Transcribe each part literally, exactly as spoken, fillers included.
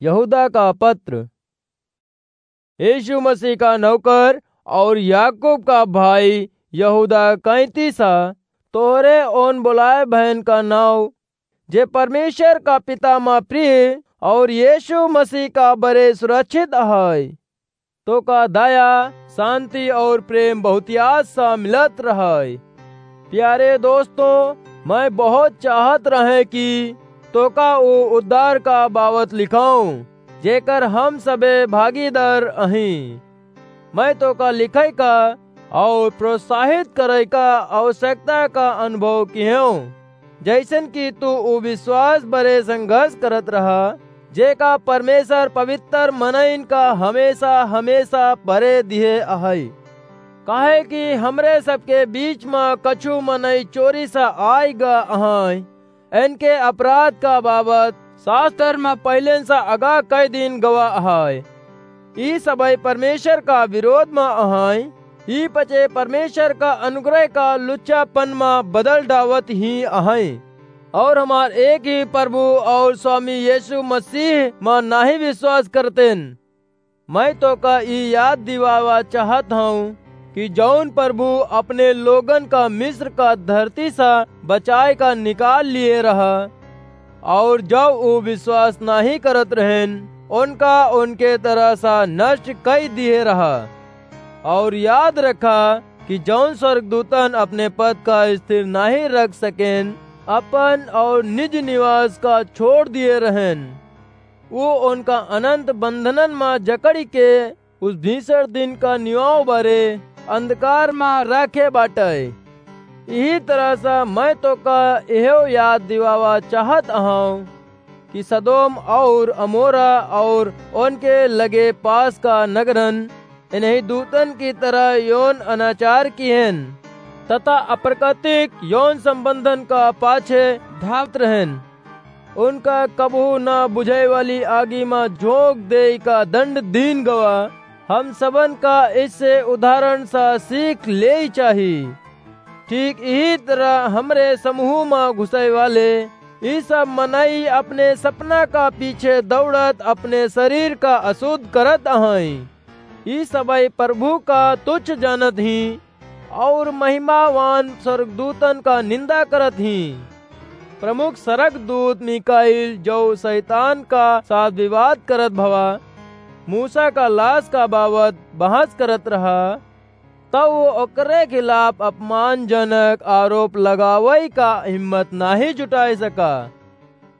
यहूदा का पत्र। यीशु मसीह का नौकर और याकूब का भाई यहूदा कैंतीसा, तोहरे ओन बुलाए भयन का नाव, जे परमेश्वर का पिता मा प्रिय और यीशु मसीह का बरे सुरक्षित है, तोका दया, शांति और प्रेम बहुतियात सा मिलत रहै। प्यारे दोस्तों, मैं बहुत चाहत रहे कि तोका ऊ उद्धार का बाबत लिखाऊं, जेकर हम सबे भागीदार अहीं। मैं तोका लिखै का और प्रोत्साहित करै का आवश्यकता का अनुभव किहेंव, जैसन कि तू ऊ विश्वास बरे संघर्ष करत रहा, जेका परमेश्वर पवित्र मनइन का हमेशा, हमेशा बरे दिहे अहै। काहे कि हमरे सबके बीच म कछु मनई चोरी सा आइ गा अहै, इनके अपराध का बाबत शास्त्र म पहिलेन सा अगा कई दिन गवा अहै। ई सबै परमेश्वर का विरोध म अहै, ई पचे परमेश्वर का अनुग्रह का लुच्चापन म बदल डावत ही अहै, और हमार एक ही प्रभु और स्वामी यीशु मसीह म नाही विश्वास करतेन। मैं तोका ई याद दिवावा चाहत हूँ कि जौन प्रभु अपने लोगन का मिस्र का धरती सा बचाए का निकाल लिए रहा, और जब ऊ विश्वास नाही करत रहेन, उनका उनके तरह सा नष्ट कई दिए रहा। और याद रखा कि जौन स्वर्गदूतन अपने पद का स्थिर नाही रख सकेन, अपन और निज निवास का छोड़ दिए रहेन, वो उनका अनंत बंधनन मा जकड़ी के उस भीषण दिन का निवाव बरे अंधकार मा राखे बाटै। इही तरह से मैं तोका एहो याद दिवावा चाहत अहौं कि सदोम और अमोरा और उनके लगे पास का नगरन इन्हीं दूतन की तरह यौन अनाचार किहेन तथा अप्राकृतिक यौन संबंधन का पाछे धावत रहेन। उनका कबहू ना बुझाए वाली आगी मा झोंक देई का दंड दीन गवा। हम सबन का इससे उदाहरण सा सीख लेई चाही। ठीक इही तरह हमरे समूह मा घुसै वाले ई सब मनई अपने सपना का पीछे दौड़त अपने शरीर का अशुद्ध करत अहैं। ई सबै प्रभु का तुच्छ जानत ही और महिमावान स्वर्गदूतन का निंदा करत ही। प्रमुख स्वर्गदूत मीकाईल, जो शैतान का साथ विवाद करत भवा, मूसा का लाश का बाबत बहस करत रहा, तब वो ओकरे खिलाफ अपमानजनक आरोप लगावै का हिम्मत नाही जुटाए सका।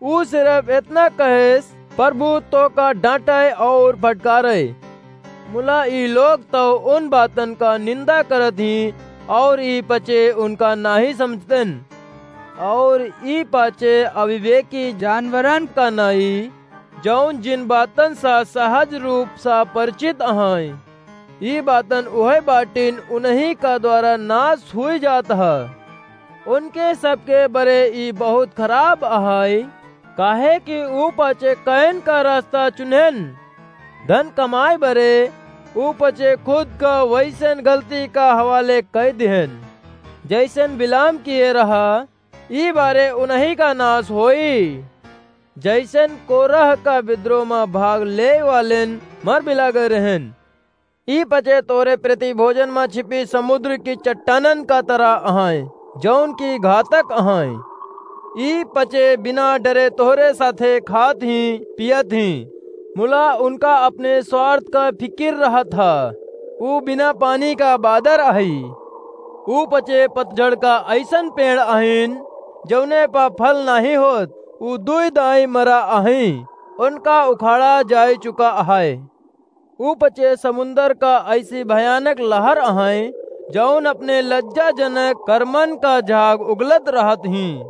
ऊ सिर्फ इतना कहेस, "प्रभु तोका डांटै और फटकारै।" मुला ई लोग तो उन बातन का निंदा करत ही और ई पचे उनका नाही समझतेन। और ई पाचे अविवेकी जानवरन का नाई, जौन जिन बातन सा सहज रूप सा परिचित अहैं। ई बातन उहै बाटिन उन्हीं का द्वारा नाश हुई जात ह। उनके सबके बरे ई बहुत खराब अहै, काहे कि ऊ पाचे कैन का रास्ता चुनेन। धन कमाए बरे ऊ पाचे खुद का वैसन गलती का हवाले कै दिहेन, जैसन बिलाम किए रहा। ई बारे उन्हीं का नाश होई, जैसन कोरह का विद्रोह मा भाग ले वालेन मर बिला गए रहेन। ई पचे तोरे प्रति भोजन मा छिपी समुद्र की चट्टानन का तरह अहैं, जौन की घातक अहैं। ई पचे बिना डरे तोहरे साथे खात ही, पियत ही। मुला उनका अपने स्वार्थ का फिकिर रहत ह। ऊ बिना पानी का बादर अहै। ऊ पचे पतझड़ का अइसन पेड़ अहिन, जौने पा फल नाहीं होत। ऊ दुई दाई मरा अहैं। उनका उखाड़ा जाय चुका अहै। ऊ पचे समुंदर का अइसी भयानक लहर अहैं, जौन अपने लज्जाजनक कर्मन का झाग उगलत रहत हीं।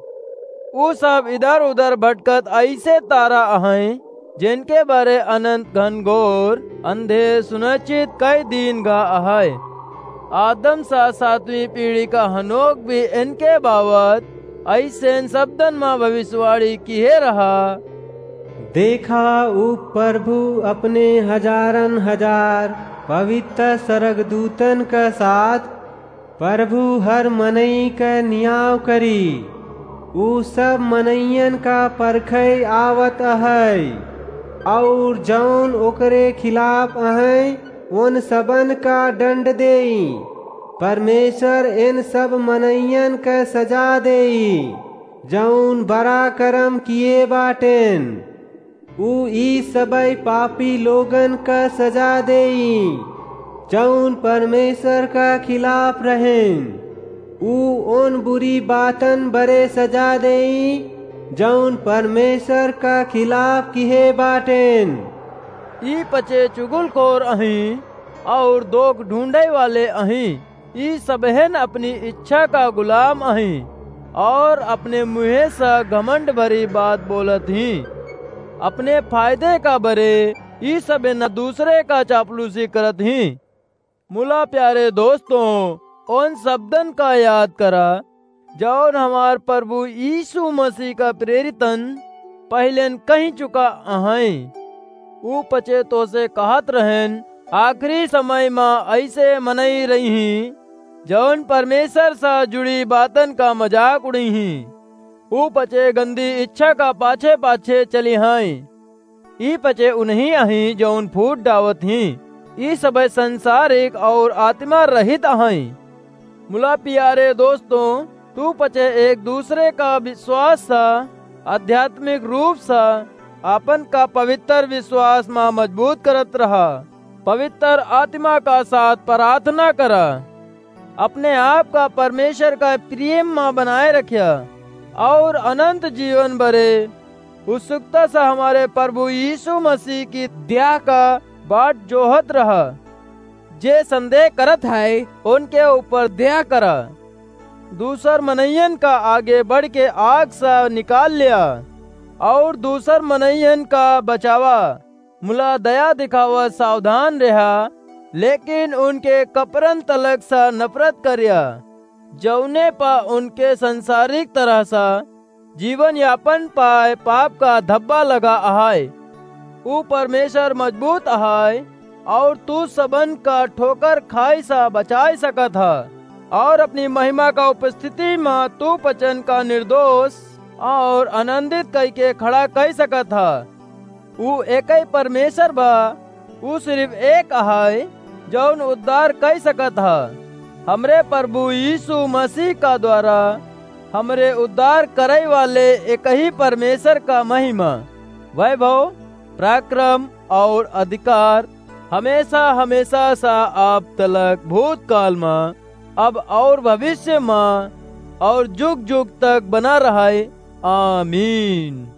ऊ सब इधर-उधर भटकत अइसे तारा अहैं, जेनके बारे अनंत घनघोर अंधे सुनिश्चित कई दीन गा अहै। आदम सा सातवीं पीढ़ी का हनोक भी इनके बाबत अइसेन शब्दन मा भविष्यवाणी किहे रहा। देखा, ऊ प्रभु अपने हजारन हजार पवित्र सरगदूतन क साथ प्रभु हर मनई क नियाव करी। ऊ सब मनइयन का परखै आवत अहै। और जौन ओकरे खिलाफ अहैं, उन सबन का दंड देई। परमेश्वर इन सब मनइयन क सजा देई, जौन बड़ा करम किए बाटेन। ऊ ई सबई पापी लोगन क सजा देई, जौन परमेश्वर का खिलाफ रहेन। ऊ उन बुरी बातन बरे सजा देई, जौन परमेश्वर का खिलाफ किहे बाटेन। ई पचे चुगलखोर अहीं और दोख ढूंढे वाले अहीं। ई सबहेन अपनी इच्छा का गुलाम अहीं और अपने मुँहे से घमंड भरी बात बोलत हीं। अपने फायदे का बरे ई सबहेन दूसरे का चापलूसी करत हीं। मुला प्यारे दोस्तों, उन शब्दन का याद करा, जौन हमार प्रभु यीशु मसीह का प्रेरितन पहिलेन कहि चुका अहैं। ऊ पचे तोसे कहत रहेन, आखिरी समय मा ऐसे मनई रही हीं, जौन परमेश्वर से जुड़ी बातन का मजाक उड़ई हीं। ऊ पचे गंदी इच्छा का पाछे पाछे चली हीं। ई पचे उन्हीं अहीं जौन फूट डावत हीं। ई सबे संसारिक और आत्मा रहित अहैं। मुला प्यारे दोस्तों, तू पचे एक दूसरे का विश्वास सा, आध्यात्मिक रूप सा, आपन का पवित्र विश्वास मा मजबूत करत रहा। पवित्र आत्मा का साथ प्रार्थना करा। अपने आप का परमेश्वर का प्रेम मा बनाए रख्या और अनंत जीवन बरे उत्सुकता से हमारे प्रभु यीशु मसीह की द्याह का बाट जोहत रहा। जे संदेह करत है, उनके ऊपर दया करा। दूसर मनइयन का आगे बढ़ के आग से निकाल लिया और दूसर मनइयन का बचावा। मुला दया दिखावा सावधान रहा, लेकिन उनके कपरन तलक से नफरत करिया, जौने पा उनके संसारिक तरह से जीवन यापन पाए पाप का धब्बा लगा अहाय। ऊ परमेश्वर मजबूत अहाय और तू सबन का ठोकर खाई सा बचाए सकत ह और अपनी महिमा का उपस्थिति मा तू पचन का निर्दोष और आनंदित कई के खड़ा कई सकत ह। ऊ एकई परमेश्वर बा, ऊ सिर्फ एक अहाय, जौन उद्धार कई सकत ह। हमरे प्रभु यीशु मसीह का द्वारा हमरे उद्धार करई वाले एकही परमेश्वर का महिमा, वैभव, पराक्रम और अधिकार हमेशा, हमेशा सा अब तलक भूतकाल मा, अब और भविष्य मा और जुग जुग तक बना रहय। आमीन।